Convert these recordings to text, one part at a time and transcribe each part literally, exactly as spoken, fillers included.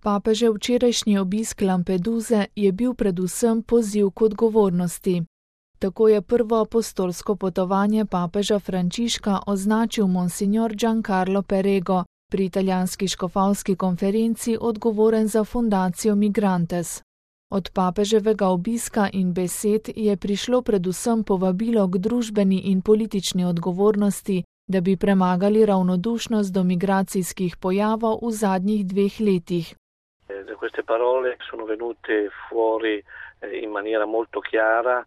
Papežev včerajšnji obisk Lampeduse je bil predvsem poziv k odgovornosti. Tako je prvo apostolsko potovanje papeža Frančiška označil monsignor Giancarlo Perego, pri italijanski škofovski konferenci odgovoren za fundacijo Migrantes. Od papeževega obiska in besed je prišlo predvsem povabilo k družbeni in politični odgovornosti, da bi premagali ravnodušnost do migracijskih pojavov v zadnjih dveh letih. Da queste parole sono venute fuori in maniera molto chiara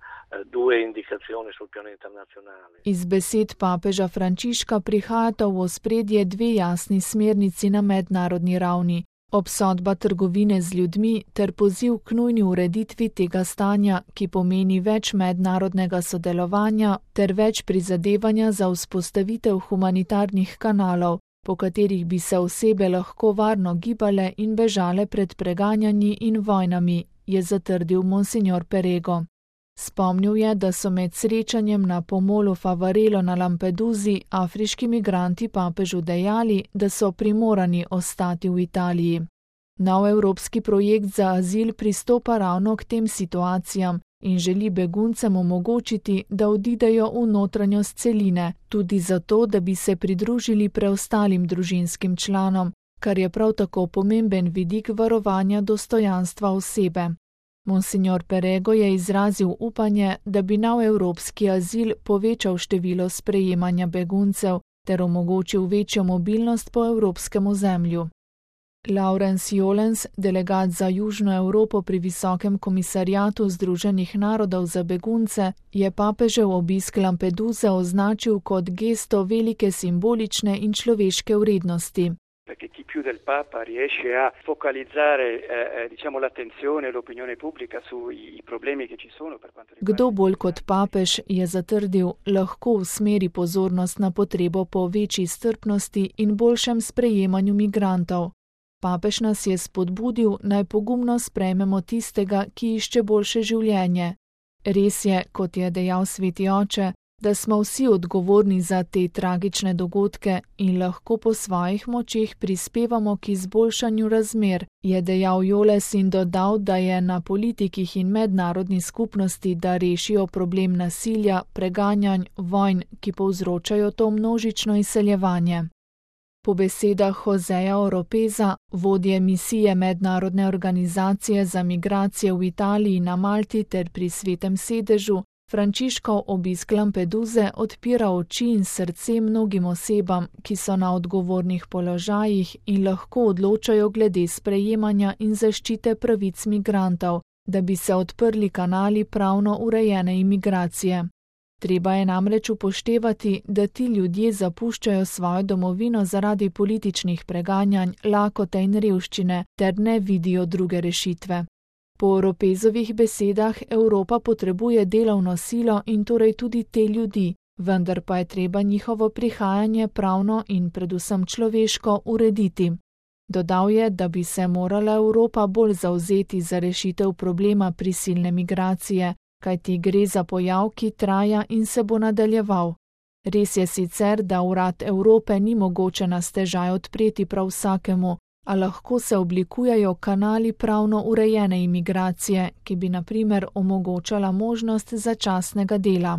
due indicazioni sul piano internazionale. Iz besed papeža Frančiška prihajata v ospredje dve jasni smernici na mednarodni ravni. Obsodba trgovine z ljudmi ter poziv k nujni ureditvi tega stanja, ki pomeni več mednarodnega sodelovanja ter več prizadevanja za vzpostavitev humanitarnih kanalov, po katerih bi se osebe lahko varno gibale in bežale pred preganjanji in vojnami, je zatrdil monsignor Perego. Spomnil je, da so med srečanjem na pomolu Favarelo na Lampedusi afriški migranti papežu dejali, da so primorani ostati v Italiji. Nov evropski projekt za azil pristopa ravno k tem situacijam in želi beguncem omogočiti, da odidejo v notranjost celine, tudi zato, da bi se pridružili preostalim družinskim članom, kar je prav tako pomemben vidik varovanja dostojanstva osebe. Monsignor Perego je izrazil upanje, da bi nov evropski azil povečal število sprejemanja beguncev ter omogočil večjo mobilnost po evropskem ozemlju. Laurens Jolens, delegat za Južno Evropo pri Visokem komisariatu Združenih narodov za begunce, je papežev obisk Lampeduse označil kot gesto velike simbolične in človeške vrednosti. Perché chi più del Papa riesce a focalizzare eh, diciamo l'attenzione e l'opinione pubblica sui problemi che ci sono per quanto riguarda. Kdo bolj kot papež, je zatrdil, lahko usmeri pozornost na potrebo po večji strpnosti in boljšem sprejemanju migrantov. Papež nas je spodbudil, naj pogumno sprejmemo tistega, ki išče boljše življenje. Res je, kot je dejal sveti oče, da smo vsi odgovorni za te tragične dogodke in lahko po svojih močeh prispevamo k izboljšanju razmer, je dejal Joles in dodal, da je na politikih in mednarodni skupnosti, da rešijo problem nasilja, preganjanj, vojn, ki povzročajo to množično izseljevanje. Po besedah Joseja Oropeza, vodje misije Mednarodne organizacije za migracije v Italiji na Malti ter pri Svetem sedežu, Frančiškov obisk Lampeduse odpira oči in srce mnogim osebam, ki so na odgovornih položajih in lahko odločajo glede sprejemanja in zaščite pravic migrantov, da bi se odprli kanali pravno urejene imigracije. Treba je namreč upoštevati, da ti ljudje zapuščajo svojo domovino zaradi političnih preganjanj, lakote in revščine ter ne vidijo druge rešitve. Po Oropezovih besedah Evropa potrebuje delovno silo in torej tudi te ljudi, vendar pa je treba njihovo prihajanje pravno in predvsem človeško urediti. Dodal je, da bi se morala Evropa bolj zavzeti za rešitev problema prisilne migracije, kajti gre za pojav, ki traja in se bo nadaljeval. Res je sicer, da urad Evrope ni mogoče na stežaj odpreti prav vsakemu, a lahko se oblikujejo kanali pravno urejene imigracije, ki bi na primer omogočala možnost začasnega dela.